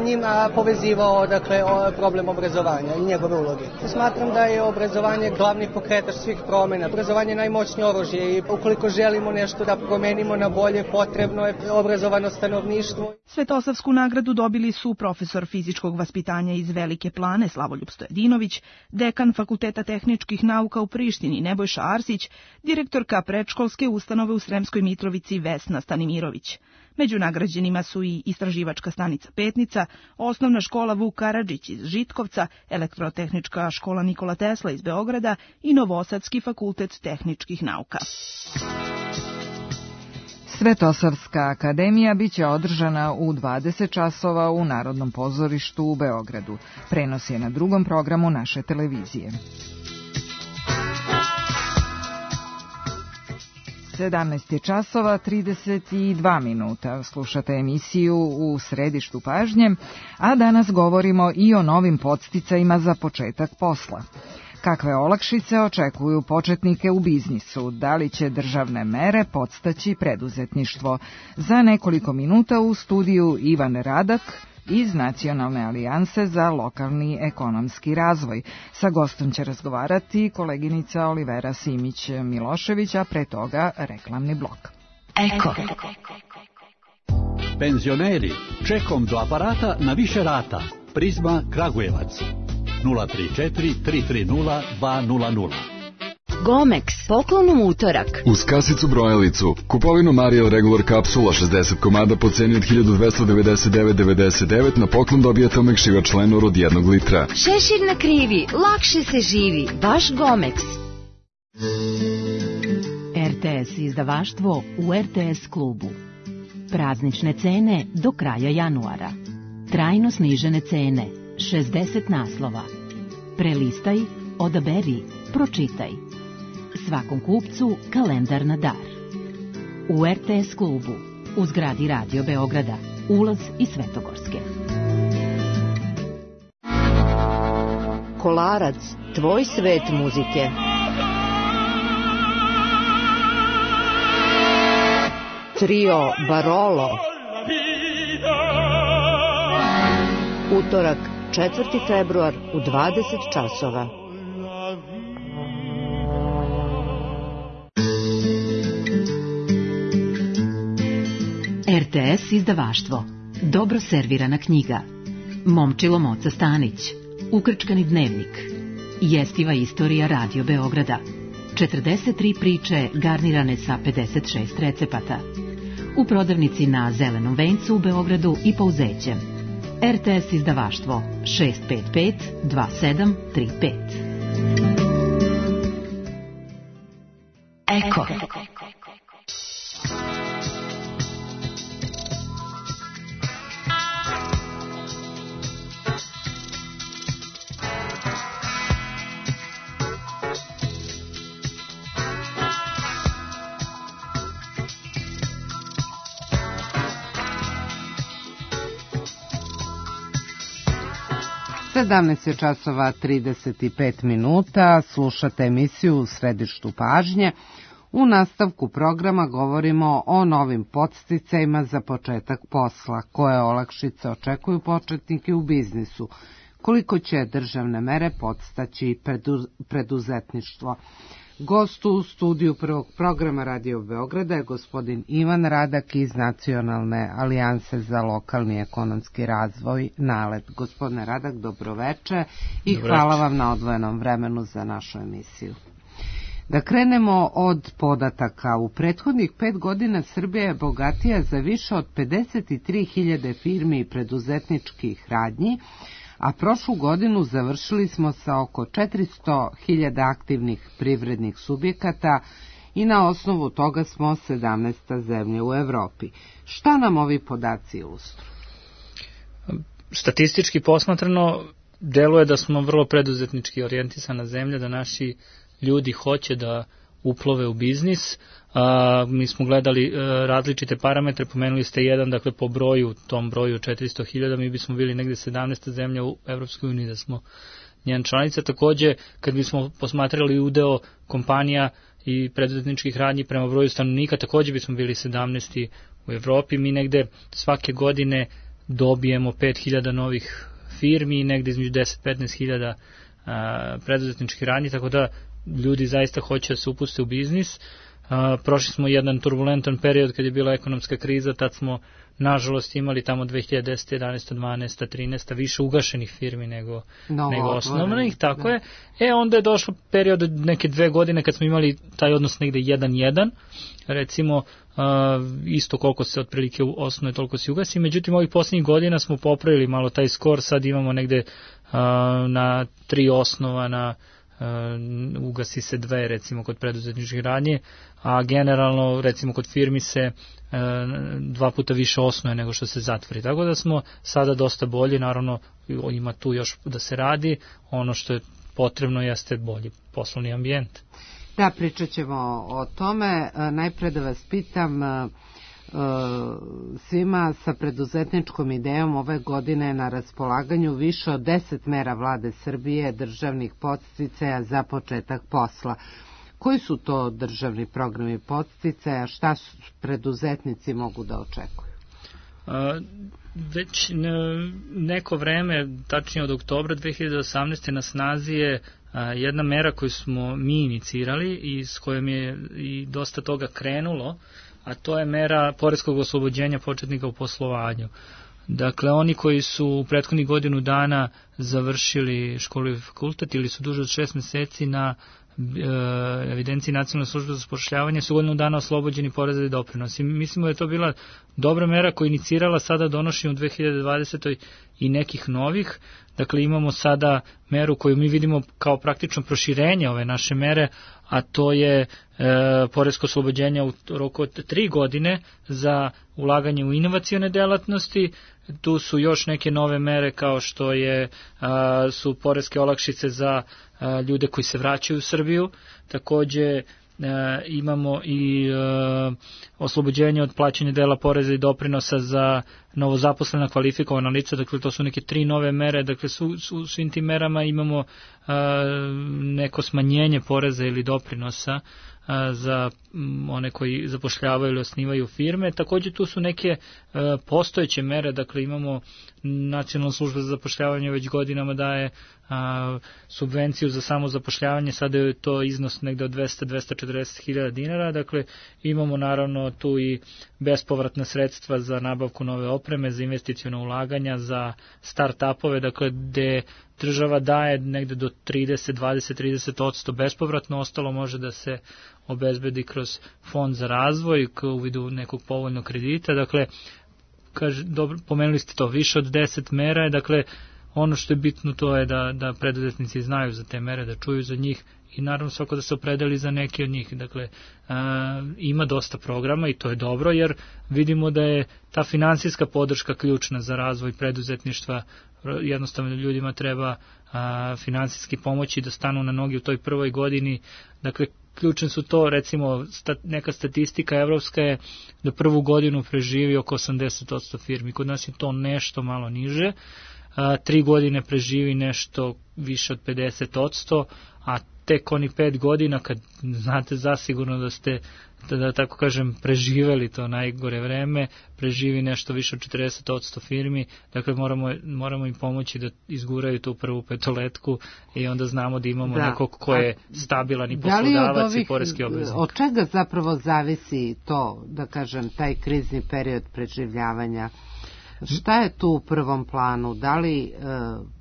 njima povezivao dakle, problem obrazovanja i njegove uloge. Smatram da je obrazovanje glavni pokretač svih promjena. Obrazovanje je najmoćnije oružje i ukoliko želimo nešto da promenimo na bolje, potrebno je obrazovano stanovništvo. Svetosavsku nagradu dobili su profesor fizičkog vaspitanja iz Velike Plane Slavoljub Stojadinović, dekan Fakulteta tehničkih nauka u Prištini Nebojša Arsić, direktorka predškolske ustanove u Sremskoj Mitrovici Vesna Stanimirović. Među nagrađenima su i Istraživačka stanica Petnica, Osnovna škola Vuk Karadžić iz Žitkovca, Elektrotehnička škola Nikola Tesla iz Beograda i Novosadski fakultet tehničkih nauka. Svetosavska akademija biće održana u dvadeset časova u Narodnom pozorištu u Beogradu. Prenos je na drugom programu naše televizije. sedamnaest časova trideset dva minuta. Slušate emisiju U središtu pažnje, a danas govorimo i o novim podsticajima za početak posla. Kakve olakšice očekuju početnike u biznisu? Da li će državne mere podstaći preduzetništvo? Za nekoliko minuta u studiju Ivan Radak iz Nacionalne alijanse za lokalni ekonomski razvoj. Sa gostom će razgovarati koleginica Olivera Simić-Milošević, a pre toga reklamni blok. Eko. Penzioneri, čekom do aparata na više rata. Prizma Kragujevac. nula tri četiri tri tri nula dva nula nula. Gomex, poklonom utorak. Uz kasicu brojalicu, kupovinu Mariel Regular kapsula šezdeset komada po ceni od hiljadu dvesta devedeset devet zarez devedeset devet, na poklon dobijete omekšivač Lenor od jednog litra. Šešir na krivi, lakše se živi, baš Gomex. R T S izdavaštvo u R T S klubu. Praznične cene do kraja januara. Trajno snižene cene, šezdeset naslova. Prelistaj, odaberi, pročitaj. Svakom kupcu kalendar na dar. U R T S klubu, u zgradi Radio Beograda, ulaz i Svetogorske. Kolarac, tvoj svet muzike. Trio Barolo. Utorak, četvrti februar u dvadeset časova. R T S izdavaštvo. Dobro servirana knjiga. Momčilo Moca Stanić. Ukrčkani dnevnik. Jestiva istorija Radio Beograda. četrdeset tri priče garnirane sa pedeset šest recepata. U prodavnici na Zelenom vencu u Beogradu i Pouzećem. R T S izdavaštvo šest pet pet dva sedam tri pet. Eko. sedamnaest je časova trideset pet minuta, slušate emisiju U središtu pažnje. U nastavku programa govorimo o novim podsticajima za početak posla, koje olakšice očekuju početnike u biznisu, koliko će državne mere podstaći preduzetništvo. Gost u studiju prvog programa Radio Beograda je gospodin Ivan Radak iz Nacionalne alijanse za lokalni ekonomski razvoj NALED. Gospodine Radak, dobroveče i Dobre hvala vam na odvojenom vremenu za našu emisiju. Da krenemo od podataka. U prethodnih pet godina Srbija je bogatija za više od pedeset tri hiljade firmi i preduzetničkih radnji, a prošlu godinu završili smo sa oko četiristo hiljada aktivnih privrednih subjekata i na osnovu toga smo sedamnaesta zemlja u Evropi. Šta nam ovi podaci ilustruju? Statistički posmatrano, deluje da smo vrlo preduzetnički orijentisana zemlja, da naši ljudi hoće da uplove u biznis. A, mi smo gledali a, različite parametre, pomenuli ste jedan, dakle po broju, tom broju četiristo hiljada, mi bismo bili negde sedamnaesta zemlja u Evropskoj uniji da smo njen članica. Takođe, kad bismo posmatrali udeo kompanija i preduzetničkih radnji prema broju stanovnika, takođe bismo bili sedamnaesti u Evropi. Mi negde svake godine dobijemo pet hiljada novih firmi i negde između deset do petnaest hiljada preduzetničkih radnji, tako da ljudi zaista hoće da se upuste u biznis. Uh, prošli smo jedan turbulentan period kad je bila ekonomska kriza, tad smo nažalost imali tamo dve hiljade desete, jedanaeste, dvanaeste, trinaeste više ugašenih firmi nego, nego osnovnih, tako da je. E onda je došlo period neke dve godine kad smo imali taj odnos negde jedan jedan, recimo uh, isto koliko se otprilike osnuje, toliko se ugasi, međutim ovih posljednjih godina smo popravili malo taj skor, sad imamo negde uh, na tri osnova, na Uh, ugasi se dve recimo kod preduzetničkih radnje, a generalno recimo kod firmi se uh, dva puta više osnuje nego što se zatvori, tako da smo sada dosta bolji, naravno ima tu još da se radi, ono što je potrebno jeste bolji poslovni ambijent. Da, pričat ćemo o tome. Najpre da vas pitam, svima sa preduzetničkom idejom ove godine na raspolaganju više od deset mera vlade Srbije, državnih podsticaja za početak posla. Koji su to državni programi podsticaja, šta preduzetnici mogu da očekuju? Već neko vreme, tačnije od oktobra dve hiljade osamnaeste na snazi je jedna mera koju smo mi inicirali i s kojom je i dosta toga krenulo, a to je mera poreskog oslobođenja početnika u poslovanju. Dakle, oni koji su u prethodnih godinu dana završili školu i fakultet ili su duže od šest meseci na e, evidenciji Nacionalne službe za zapošljavanje su godinu dana oslobođeni poreza i doprinosa. Mislimo da je to bila dobra mera koja je inicirala sada donošenje u dve hiljade dvadesetoj i nekih novih. Dakle, imamo sada meru koju mi vidimo kao praktično proširenje ove naše mere, a to je e, poresko oslobođenje u roku od tri godine za ulaganje u inovacione delatnosti. Tu su još neke nove mere kao što je a, su poreske olakšice za a, ljude koji se vraćaju u Srbiju. Takođe E, imamo i e, oslobođenje od plaćanja dela poreza i doprinosa za novozaposlena kvalifikovana lica, dakle to su neke tri nove mere, dakle su, su, svim tim merama imamo e, neko smanjenje poreza ili doprinosa e, za one koji zapošljavaju ili osnivaju firme. Takođe tu su neke e, postojeće mere, dakle imamo Nacionalna služba za zapošljavanje već godinama daje a, subvenciju za samo zapošljavanje, sada je to iznos negde od dvesta do dvesta četrdeset hiljada dinara, dakle imamo naravno tu i bespovratna sredstva za nabavku nove opreme, za investicione ulaganja, za start-upove, dakle gde država daje negde do trideset, dvadeset, trideset odsto bespovratno, ostalo može da se obezbedi kroz fond za razvoj u vidu nekog povoljnog kredita. Dakle, kaže, dobro, pomenuli ste to, više od deset mera je, dakle, ono što je bitno to je da, da preduzetnici znaju za te mere, da čuju za njih i naravno svako da se opredeli za neke od njih. Dakle, a, ima dosta programa i to je dobro jer vidimo da je ta finansijska podrška ključna za razvoj preduzetništva. Jednostavno ljudima treba a, finansijski pomoći da stanu na noge u toj prvoj godini. Dakle, ključne su to, recimo, stat, neka statistika evropska je da prvu godinu preživi oko osamdeset odsto firmi. Kod nas je to nešto malo niže. A, tri godine preživi nešto više od pedeset odsto, a tek oni pet godina, kad znate zasigurno da ste, da, da tako kažem, preživeli to najgore vreme, preživi nešto više od četrdeset odsto firmi, dakle moramo, moramo im pomoći da izguraju tu prvu petoletku i onda znamo da imamo da. nekog ko je stabilan i poslodavac i poreski obveznik. Od čega zapravo zavisi to, da kažem, taj krizni period preživljavanja? Šta je tu u prvom planu? Da li e,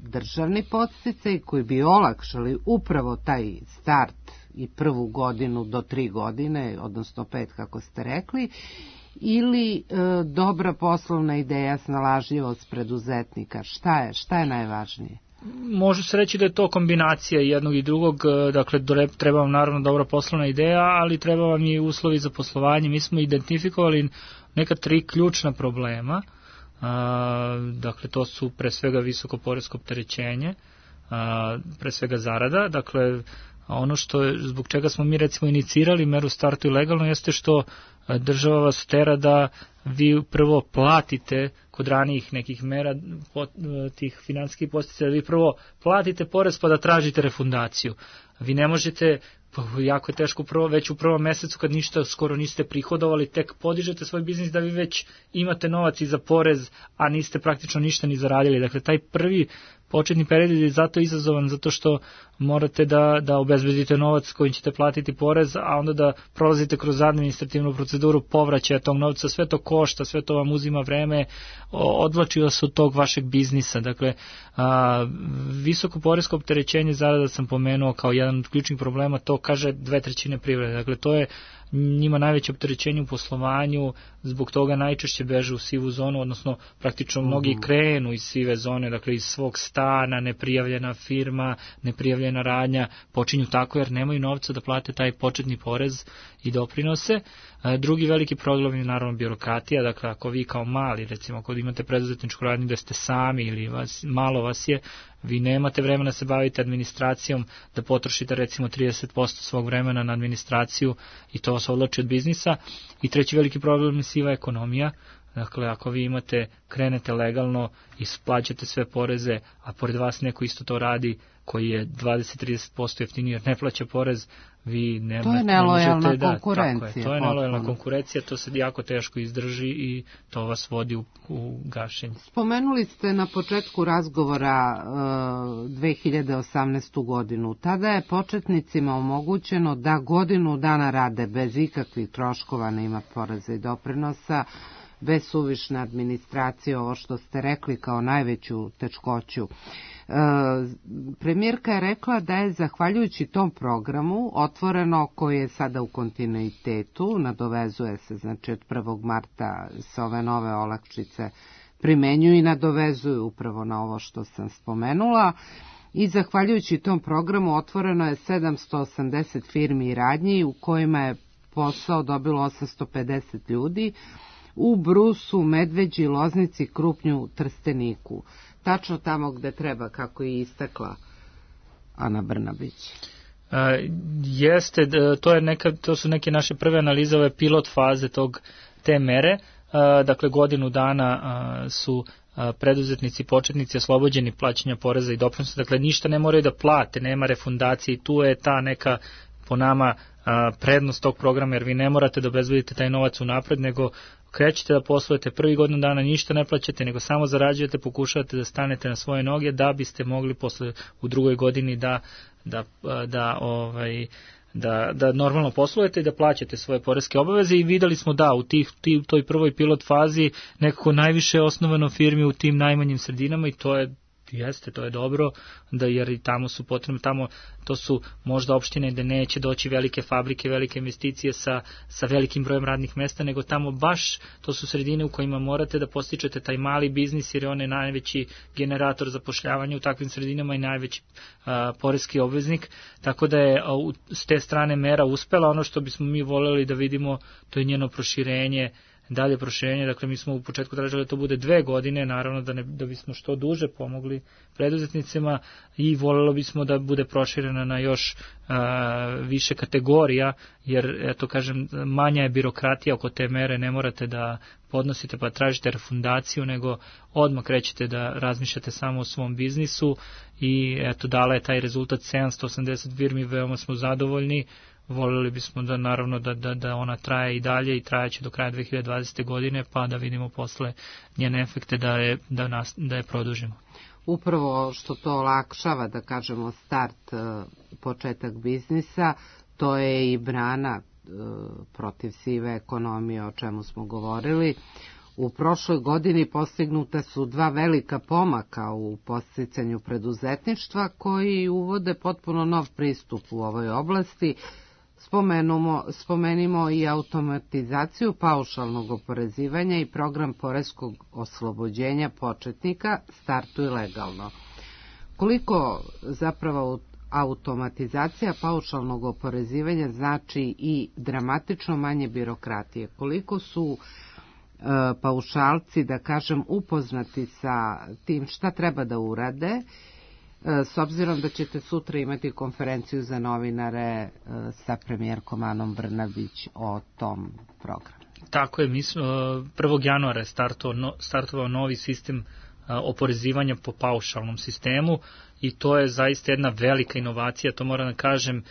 državni podsticaj koji bi olakšali upravo taj start i prvu godinu do tri godine, odnosno pet kako ste rekli, ili e, dobra poslovna ideja, snalažljivost preduzetnika? Šta je, šta je najvažnije? Može se reći da je to kombinacija jednog i drugog, dakle treba vam naravno dobra poslovna ideja, ali treba vam i uslovi za poslovanje. Mi smo identifikovali neka tri ključna problema. A, dakle to su pre svega visoko poresko opterećenje, a, pre svega zarada, dakle ono što je, zbog čega smo mi recimo inicirali meru startu i legalno jeste što država vas tera da vi prvo platite kod ranijih nekih mera pot, tih finansijskih podsticaja, vi prvo platite porez pa da tražite refundaciju. Vi ne možete, jako je teško prvo, već u prvom mesecu kad ništa skoro niste prihodovali, tek podižete svoj biznis da vi već imate novac i za porez, a niste praktično ništa ni zaradili. Dakle, taj prvi početni period je zato izazovan, zato što morate da, da obezbedite novac kojim ćete platiti porez, a onda da prolazite kroz administrativnu proceduru povraćaja tog novca, sve to košta, sve to vam uzima vreme, odvlači vas od tog vašeg biznisa. Dakle, a, visoko poresko opterećenje zarada sam pomenuo kao jedan od ključnih problema, to kaže dve trećine privrede. Dakle, to je njima najveće opterećenje u poslovanju, zbog toga najčešće beže u sivu zonu, odnosno praktično mnogi krenu iz sive zone, dakle iz svog stana, neprijavljena firma, neprijavljena radnja, počinju tako jer nemaju novca da plate taj početni porez i doprinose. Drugi veliki problem je naravno birokratija, dakle ako vi kao mali, recimo ako imate preduzetničku radnju da ste sami ili vas, malo vas je, vi nemate vremena da se bavite administracijom, da potrošite recimo trideset posto svog vremena na administraciju i to vas odlači od biznisa. I treći veliki problem je siva ekonomija. Dakle, ako vi imate, krenete legalno i plaćate sve poreze, a pored vas neko isto to radi koji je dvadeset do trideset posto jeftiniji jer ne plaća porez, vi ne, to je nelojalna ne konkurencija. Da, tako je, to je nelojalna konkurencija, to se jako teško izdrži i to vas vodi u, u gašenje. Spomenuli ste na početku razgovora uh, dve hiljade osamnaestu. godinu. Tada je početnicima omogućeno da godinu dana rade bez ikakvih troškova, nema poreza i doprinosa, bez suvišne administracije, ovo što ste rekli kao najveću teškoću. E, premijerka je rekla da je zahvaljujući tom programu otvoreno, koji je sada u kontinuitetu, nadovezuje se znači od prvog marta se ove nove olakšice primenjuju i nadovezuju upravo na ovo što sam spomenula, i zahvaljujući tom programu otvoreno je sedamsto osamdeset firmi i radnji u kojima je posao dobilo osamsto pedeset ljudi, u Brusu, Medveđi, Loznici, Krupnju, Trsteniku. Tačno tamo gde treba, kako je istakla Ana Brnabić. E, jeste, to, je neka, to su neke naše prve analize, ove pilot faze tog, te mere. E, dakle, godinu dana a, su a, preduzetnici, početnici oslobođeni plaćanja poreza i doprinosa. Dakle, ništa ne moraju da plate, nema refundacije i tu je ta neka, po nama, a, prednost tog programa, jer vi ne morate da obezbedite taj novac unapred, nego krećete da poslujete prvi godinu dana, ništa ne plaćate, nego samo zarađujete, pokušavate da stanete na svoje noge da biste mogli posle u drugoj godini da da da ovaj da da normalno poslujete i da plaćate svoje poreske obaveze. I videli smo da u tih tih toj prvoj pilot fazi nekako najviše osnovano firmi u tim najmanjim sredinama i to je Jeste, to je dobro, da jer i tamo su potrebne, tamo to su možda opštine gde neće doći velike fabrike, velike investicije sa, sa velikim brojem radnih mesta, nego tamo baš to su sredine u kojima morate da postičete taj mali biznis, jer on je najveći generator zapošljavanja u takvim sredinama i najveći a, poreski obveznik, tako da je a, u, s te strane mera uspela. Ono što bismo mi voljeli da vidimo, to je njeno proširenje, dalje proširenje, dakle mi smo u početku tražili da to bude dve godine, naravno da, ne, da bismo što duže pomogli preduzetnicima i voljelo bismo da bude proširena na još a, više kategorija, jer eto kažem, manja je birokratija oko te mere, ne morate da podnosite pa tražite refundaciju, nego odmah krećete da razmišljate samo o svom biznisu i eto dala je taj rezultat sedamsto osamdeset firmi, veoma smo zadovoljni. Voljeli bismo da naravno da, da, da ona traje i dalje i trajeće do kraja dve hiljade dvadesete. godine, pa da vidimo posle njene efekte da je, da nas, da je produžimo. Upravo što to olakšava, da kažemo, start, početak biznisa, to je i brana protiv sive ekonomije, o čemu smo govorili. U prošloj godini postignuta su dva velika pomaka u podsticanju preduzetništva koji uvode potpuno nov pristup u ovoj oblasti. Spomenimo, spomenimo i automatizaciju paušalnog oporezivanja i program poreskog oslobođenja početnika Startuj legalno. Koliko zapravo automatizacija paušalnog oporezivanja znači i dramatično manje birokratije? Koliko su e, paušalci, da kažem, upoznati sa tim šta treba da urade, s obzirom da ćete sutra imati konferenciju za novinare sa premijerkom Anom Brnabić o tom programu. Tako je, mi smo prvog januara je startovao, startovao novi sistem oporezivanja po paušalnom sistemu i to je zaista jedna velika inovacija, to moram da kažem.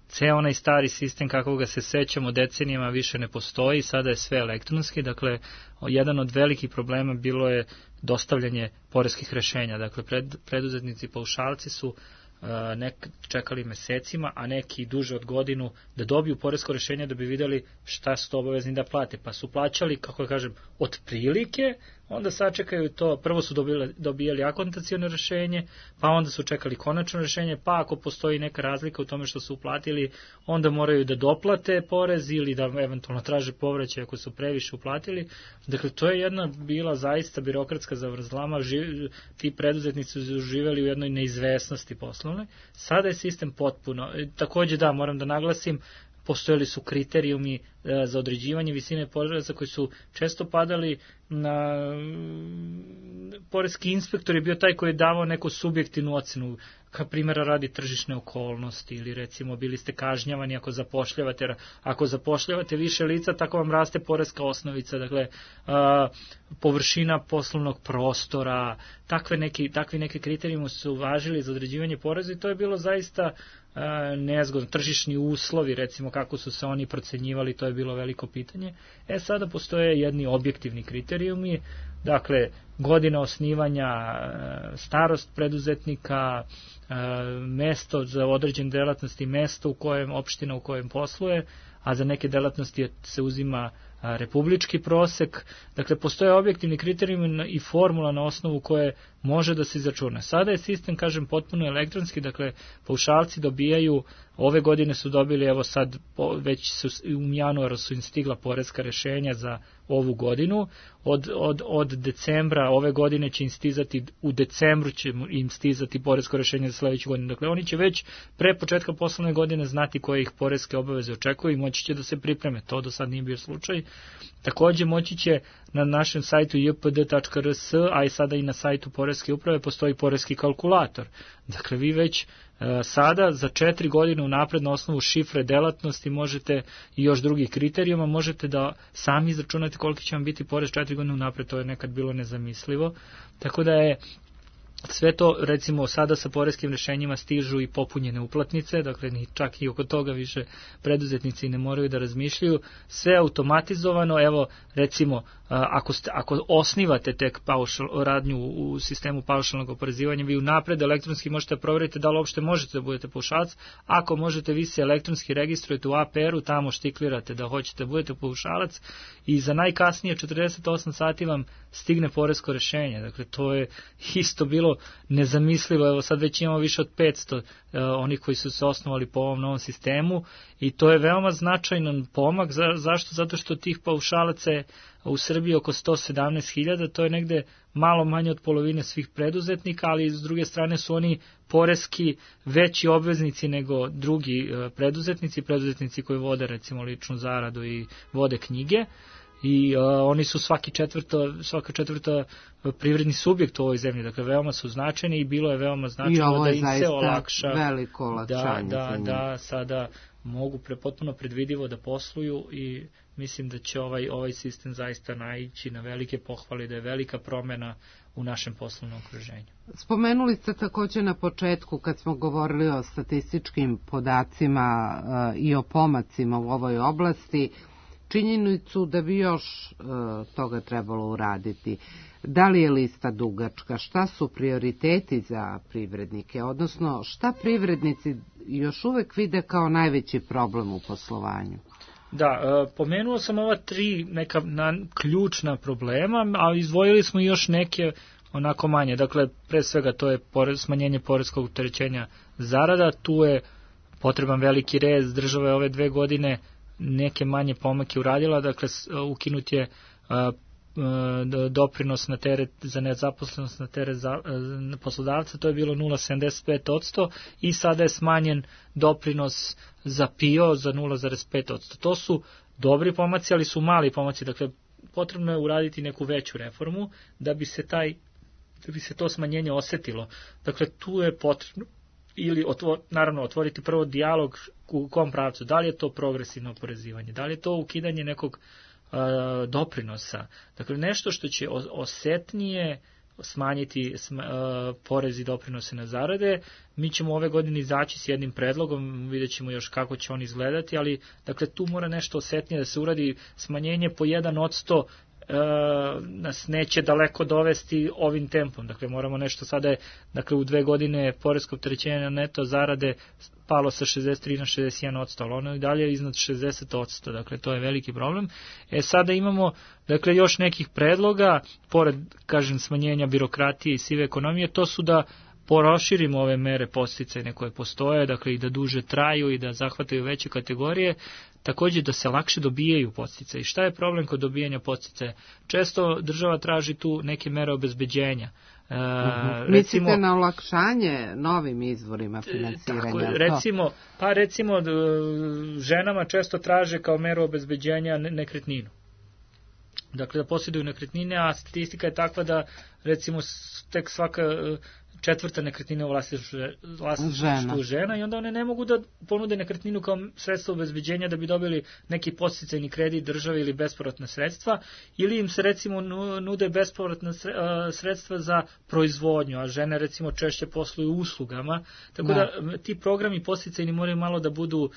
Ceo onaj stari sistem kakvog ga se sećamo decenijama više ne postoji, sada je sve elektronski, dakle jedan od velikih problema bilo je dostavljanje poreskih rešenja, dakle pred, preduzetnici paušalci su uh, nek, čekali mesecima, a neki duže od godinu da dobiju poresko rešenje da bi videli šta su to obavezni da plate, pa su plaćali, kako da kažem, otprilike, onda sačekaju to, prvo su dobili, dobijali akontacijono rešenje, pa onda su čekali konačno rešenje, pa ako postoji neka razlika u tome što su uplatili, onda moraju da doplate porez ili da eventualno traže povraćaj ako su previše uplatili. Dakle, to je jedna bila zaista birokratska zavrzlama, živ, ti preduzetnici su živeli u jednoj neizvesnosti poslovne. Sada je sistem potpuno, takođe da, moram da naglasim, postojali su kriterijumi za određivanje visine poreza koji su često padali na poreski inspektor je bio taj koji je davao neku subjektivnu ocenu, kao primjera radi tržišne okolnosti ili recimo bili ste kažnjavani ako zapošljavate, ako zapošljavate više lica, tako vam raste poreska osnovica, dakle a, površina poslovnog prostora, takve neki, takvi neki kriterijumi su važili za određivanje poreza i to je bilo zaista a, nezgodno. Tržišni uslovi, recimo kako su se oni procenjivali, to je bilo veliko pitanje. E sada postoje jedni objektivni kriterijumi, dakle godina osnivanja, starost preduzetnika, mesto za određene delatnosti, mesto u kojem, opština u kojem posluje, a za neke delatnosti se uzima republički prosek. Dakle, postoje objektivni kriterijumi i formula na osnovu koje može da se izračuna. Sada je sistem, kažem, potpuno elektronski, dakle, paušalci dobijaju, ove godine su dobili, evo sad, već su, u januaru su im stigla poreska rešenja za ovu godinu, od, od, od decembra ove godine će im stizati, u decembru će im stizati poresko rešenje za sledeću godinu. Dakle, oni će već pre početka poslovne godine znati koje ih poreske obaveze očekuju i moći će da se pripreme. To do sad nije bio slučaj. Takođe, moći će na našem sajtu j p d tačka r s, a i sada i na sajtu Poreske uprave postoji poreski kalkulator. Dakle, vi već e, sada za četiri godine unapred na osnovu šifre delatnosti možete i još drugih kriterijuma možete da sami izračunate koliki će vam biti porez četiri godine unapred, to je nekad bilo nezamislivo. Tako da je sve to, recimo, sada sa poreskim rešenjima stižu i popunjene uplatnice, dakle ni čak i oko toga više preduzetnici ne moraju da razmišljaju, sve automatizovano. Evo, recimo, ako, ste, ako osnivate tek paušal, radnju u sistemu paušalnog oporezivanja, vi unapred elektronski možete proveriti da li uopšte možete da budete paušalac. Ako možete, vi se elektronski registrujete u A P R-u, tamo štiklirate da hoćete da budete paušalac i za najkasnije četrdeset osam sati vam stigne poresko rešenje. Dakle, to je isto bilo bilo nezamislivo, evo sad već imamo više od petsto uh, onih koji su se osnovali po ovom novom sistemu i to je veoma značajan pomak. Za, zašto? Zato što tih paušalaca je u Srbiji oko sto sedamnaest hiljada, to je negde malo manje od polovine svih preduzetnika, ali s druge strane su oni poreski veći obveznici nego drugi uh, preduzetnici, preduzetnici koji vode recimo ličnu zaradu i vode knjige. I uh, oni su svaki četvrto, svaka četvrta privredni subjekt u ovoj zemlji, dakle veoma su značajni i bilo je veoma značajno da im se olakša, veliko olakšanje da, da, da sada mogu pre, potpuno predvidivo da posluju i mislim da će ovaj, ovaj sistem zaista naići na velike pohvale, da je velika promena u našem poslovnom okruženju. Spomenuli ste također na početku kad smo govorili o statističkim podacima uh, i o pomacima u ovoj oblasti, činjenicu da bi još uh, toga trebalo uraditi. Da li je lista dugačka? Šta su prioriteti za privrednike? Odnosno, šta privrednici još uvek vide kao najveći problem u poslovanju? Da, uh, pomenuo sam ova tri neka na, ključna problema, a izdvojili smo još neke onako manje. Dakle, pre svega to je pore, smanjenje poreskog opterećenja zarada, tu je potreban veliki rez, država je ove dve godine neke manje pomake uradila, dakle ukinut je a, a, doprinos na teret za nezaposlenost na teret za, a, poslodavca, to je bilo nula zarez sedamdeset pet posto i sada je smanjen doprinos za P I O za nula zarez pet posto. To su dobri pomaci, ali su mali pomaci, dakle potrebno je uraditi neku veću reformu da bi se taj da bi se to smanjenje osetilo. Dakle tu je potrebno ili otvor, naravno otvoriti prvo dijalog u kom pravcu, da li je to progresivno oporezivanje, da li je to ukidanje nekog uh, doprinosa, dakle nešto što će osetnije smanjiti sma, uh, porez i doprinose na zarade. Mi ćemo ove godine izaći s jednim predlogom, vidjet ćemo još kako će on izgledati, ali dakle tu mora nešto osetnije da se uradi, smanjenje po jedan odsto E, nas neće daleko dovesti ovim tempom. Dakle, moramo nešto sada je, dakle, u dve godine poresko opterećenje na neto zarade palo sa šezdeset tri na šezdeset jedan odsto, ali ono je dalje iznad šezdeset odsto, dakle, to je veliki problem. E, sada imamo, dakle, još nekih predloga, pored, kažem, smanjenja birokratije i sive ekonomije, to su da proširimo ove mere podsticajne koje postoje, dakle, i da duže traju i da zahvataju veće kategorije, također da se lakše dobijaju podsticaji. Šta je problem kod dobijanja podsticaja? Često država traži tu neke mere obezbeđenja. E, uh-huh. recimo, mislite na olakšanje novim izvorima finansiranja? Tako, recimo, pa recimo ženama često traže kao meru obezbeđenja nekretninu. Dakle, da posjeduju nekretnine, a statistika je takva da recimo tek svaka četvrta nekretnina u vlasništvu žena. žena i onda one ne mogu da ponude nekretninu kao sredstvo obezbeđenja da bi dobili neki podsticajni kredit države ili bespovratna sredstva, ili im se recimo nude bespovratna sredstva za proizvodnju, a žene recimo češće posluju uslugama, tako da, da ti programi podsticajni moraju malo da budu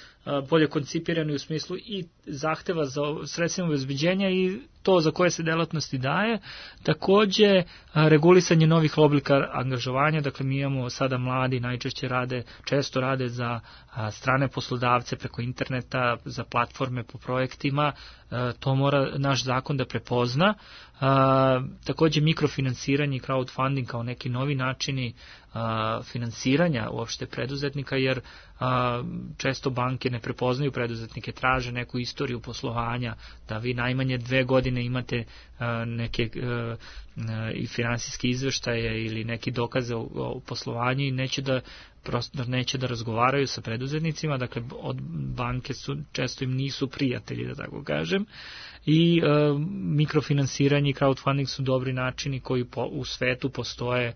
bolje koncipirani u smislu i zahteva za sredstvima obezbeđenja i to za koje se delatnosti daje. Takođe, regulisanje novih oblika angažovanja, dakle mi imamo sada mladi, najčešće rade, često rade za a, strane poslodavce preko interneta, za platforme po projektima, a, to mora naš zakon da prepozna. A, takođe mikrofinansiranje i crowdfunding kao neki novi načini a, finansiranja uopšte preduzetnika, jer a, često banke ne prepoznaju preduzetnike, traže neku istoriju poslovanja, da vi najmanje dve godine imate a, neke a, a, i finansijske izveštaje ili neki dokaze o, o poslovanju i neće da prosto neće da razgovaraju sa preduzetnicima, dakle od banke su često im nisu prijatelji, da tako kažem, i e, mikrofinansiranje i crowdfunding su dobri načini koji po, u svetu postoje, e,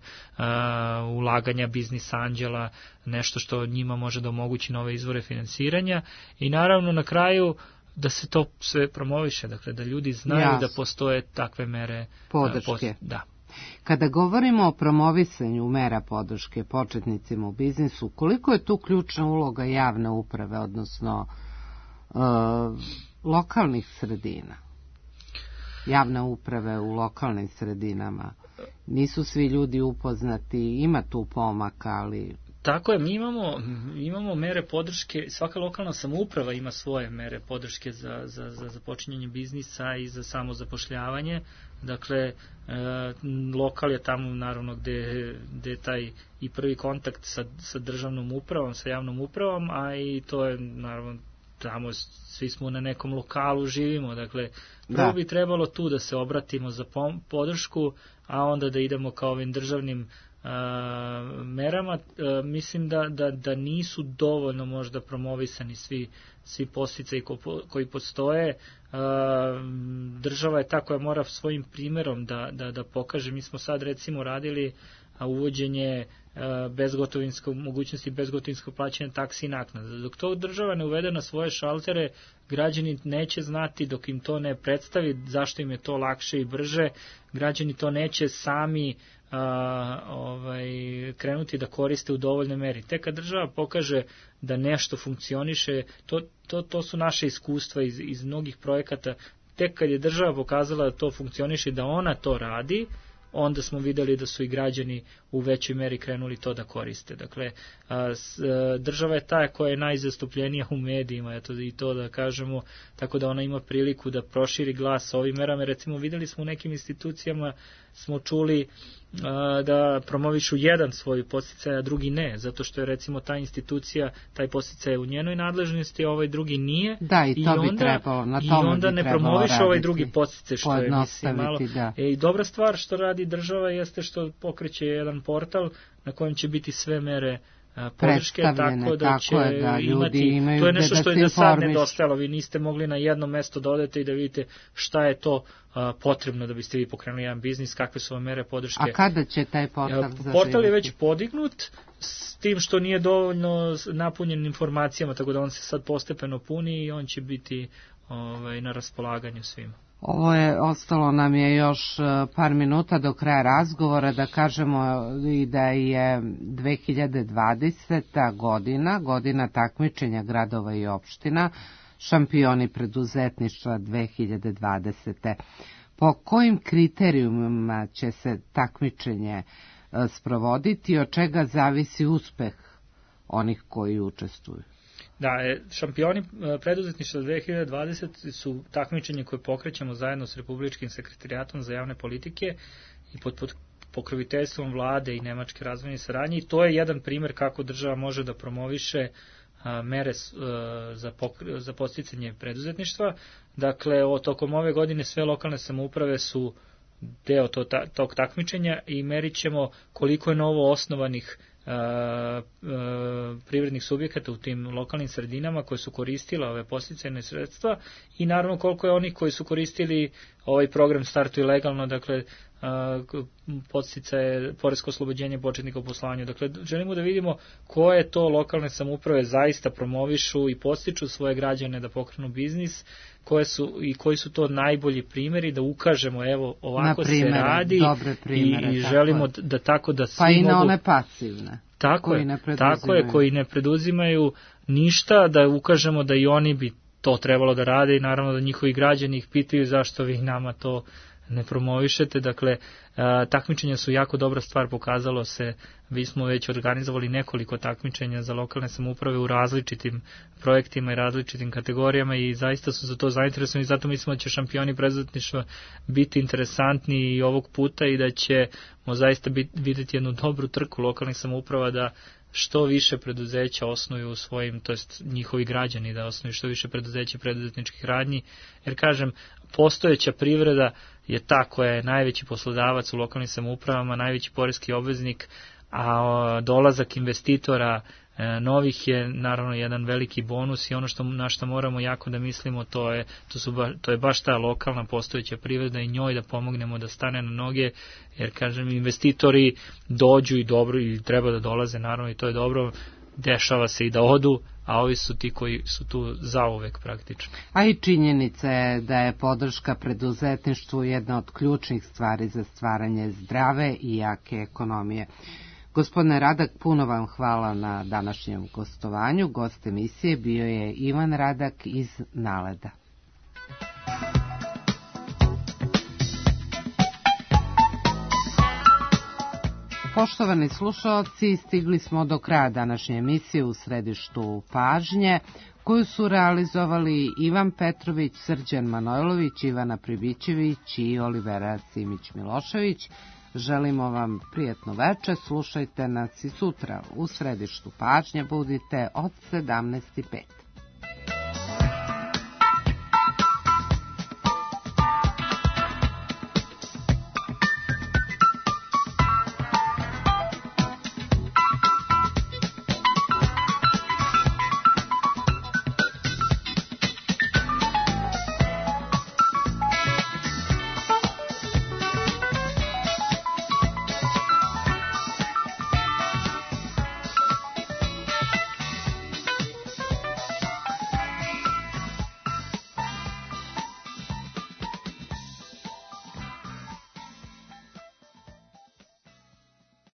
ulaganja biznis anđela, nešto što njima može da omogući nove izvore finansiranja i naravno na kraju da se to sve promoviše, dakle da ljudi znaju Jasne. Da postoje takve mere podrške. Post, da. Kada govorimo o promovisanju mera podrške početnicima u biznisu, koliko je tu ključna uloga javne uprave, odnosno e, lokalnih sredina? Javne uprave u lokalnim sredinama. Nisu svi ljudi upoznati, ima tu pomaka, ali Tako je, mi imamo, imamo mere podrške, svaka lokalna samouprava ima svoje mere podrške za, za, za započinjanje biznisa i za samo zapošljavanje. Dakle, e, lokal je tamo naravno gde, gde je taj i prvi kontakt sa, sa državnom upravom, sa javnom upravom, a i to je naravno tamo svi smo na nekom lokalu, živimo, dakle prvo da. bi trebalo tu da se obratimo za podršku, a onda da idemo kao ovim državnim a, merama. A, mislim da, da, da nisu dovoljno možda promovisani svi, svi podsticaji ko, koji postoje. A, država je ta koja mora svojim primjerom da, da, da pokaže. Mi smo sad recimo radili a uvođenje bezgotovinskog, mogućnosti bezgotovinskog plaćanja taksi i naknada. Dok to država ne uvede na svoje šaltere, građani neće znati, dok im to ne predstavi zašto im je to lakše i brže, građani to neće sami a, ovaj, krenuti da koriste u dovoljnoj meri. Tek kad država pokaže da nešto funkcioniše, to, to, to su naše iskustva iz, iz mnogih projekata, tek kad je država pokazala da to funkcioniše, da ona to radi, onda smo videli da su i građani u većoj meri krenuli to da koriste. Dakle, država je ta koja je najzastupljenija u medijima, eto i to da kažemo, tako da ona ima priliku da proširi glas ovim merama. Recimo, videli smo u nekim institucijama, smo čuli da promovišu jedan svoj podsticaj, a drugi ne, zato što je recimo ta institucija, taj podsticaj je u njenoj nadležnosti, a ovaj drugi nije. Da, i to i onda, bi trebalo, na tome i onda ne promoviše ovaj drugi podsticaj, što je mislim malo. Da. E, i dobra stvar što radi država jeste što pokreće jedan portal na kojem će biti sve mere podrške, tako da će tako je, da, imati, to je nešto što je do sad nedostajalo, vi niste mogli na jedno mesto da odete i da vidite šta je to a, potrebno da biste vi pokrenuli jedan biznis, kakve su vam mere podrške. A kada će taj portal zaživjeti? Portal je već podignut, s tim što nije dovoljno napunjen informacijama, tako da on se sad postepeno puni i on će biti ovaj, na raspolaganju svima. Ovo je, ostalo nam je još par minuta do kraja razgovora, da kažemo i da je dve hiljade dvadeseta godina, godina takmičenja gradova i opština, šampioni preduzetništva dve hiljade dvadesete. Po kojim kriterijumima će se takmičenje sprovoditi, od čega zavisi uspeh onih koji učestvuju? Da, šampioni preduzetništva dve hiljade dvadesete su takmičenje koje pokrećemo zajedno s Republičkim sekretarijatom za javne politike i pod, pod pokroviteljstvom vlade i Nemačke razvojne saradnje, i to je jedan primjer kako država može da promoviše a, mere a, za, pokre, za posticanje preduzetništva. Dakle, o, tokom ove godine sve lokalne samouprave su deo to, ta, tog takmičenja i merit ćemo koliko je novo osnovanih Uh, uh, privrednih subjekata u tim lokalnim sredinama koje su koristile ove podsticajne sredstva i naravno koliko je onih koji su koristili ovaj program Startuj legalno, dakle uh, podsticaje, poresko oslobođenje početnika u poslovanju. Dakle, želimo da vidimo koje to lokalne samouprave zaista promovišu i podstiču svoje građane da pokrenu biznis, koje su i koji su to najbolji primjeri, da ukažemo evo ovako primere, se radi primere, i, i želimo da, da tako da svi pa i na mogu, one pasivne tako je, tako je, koji ne preduzimaju ništa, da ukažemo da i oni bi to trebalo da rade i naravno da njihovi građani ih pitaju zašto vi nama to ne promovišete. Dakle, takmičenja su jako dobra stvar, pokazalo se, vi smo već organizovali nekoliko takmičenja za lokalne samouprave u različitim projektima i različitim kategorijama i zaista su za to zainteresovani, zato mislimo da će šampioni preduzetništva biti interesantni i ovog puta i da ćemo zaista biti, vidjeti jednu dobru trku lokalnih samouprava da što više preduzeća osnuju svojim, to jest njihovi građani da osnuju što više preduzeća preduzetničkih radnji, jer kažem, postojeća privreda je ta koja je najveći poslodavac u lokalnim samoupravama, najveći poreski obveznik, a dolazak investitora novih je naravno jedan veliki bonus i ono što, na što moramo jako da mislimo, to je, to su ba, to je baš ta lokalna postojeća privreda i njoj da pomognemo da stane na noge, jer kažem, investitori dođu i dobro i treba da dolaze naravno i to je dobro, dešava se i da odu, a ovi su ti koji su tu zauvek praktično. A i činjenica je da je podrška preduzetništvu jedna od ključnih stvari za stvaranje zdrave i jake ekonomije. Gospodine Radak, puno vam hvala na današnjem gostovanju. Gost emisije bio je Ivan Radak iz Naleda. Poštovani slušalci, stigli smo do kraja današnje emisije U središtu pažnje, koju su realizovali Ivan Petrović, Srđan Manojlović, Ivana Pribićević i Olivera Simić-Milošević. Želimo vam prijatno veče, slušajte nas i sutra. U središtu pažnje budite od sedamnaest i pet.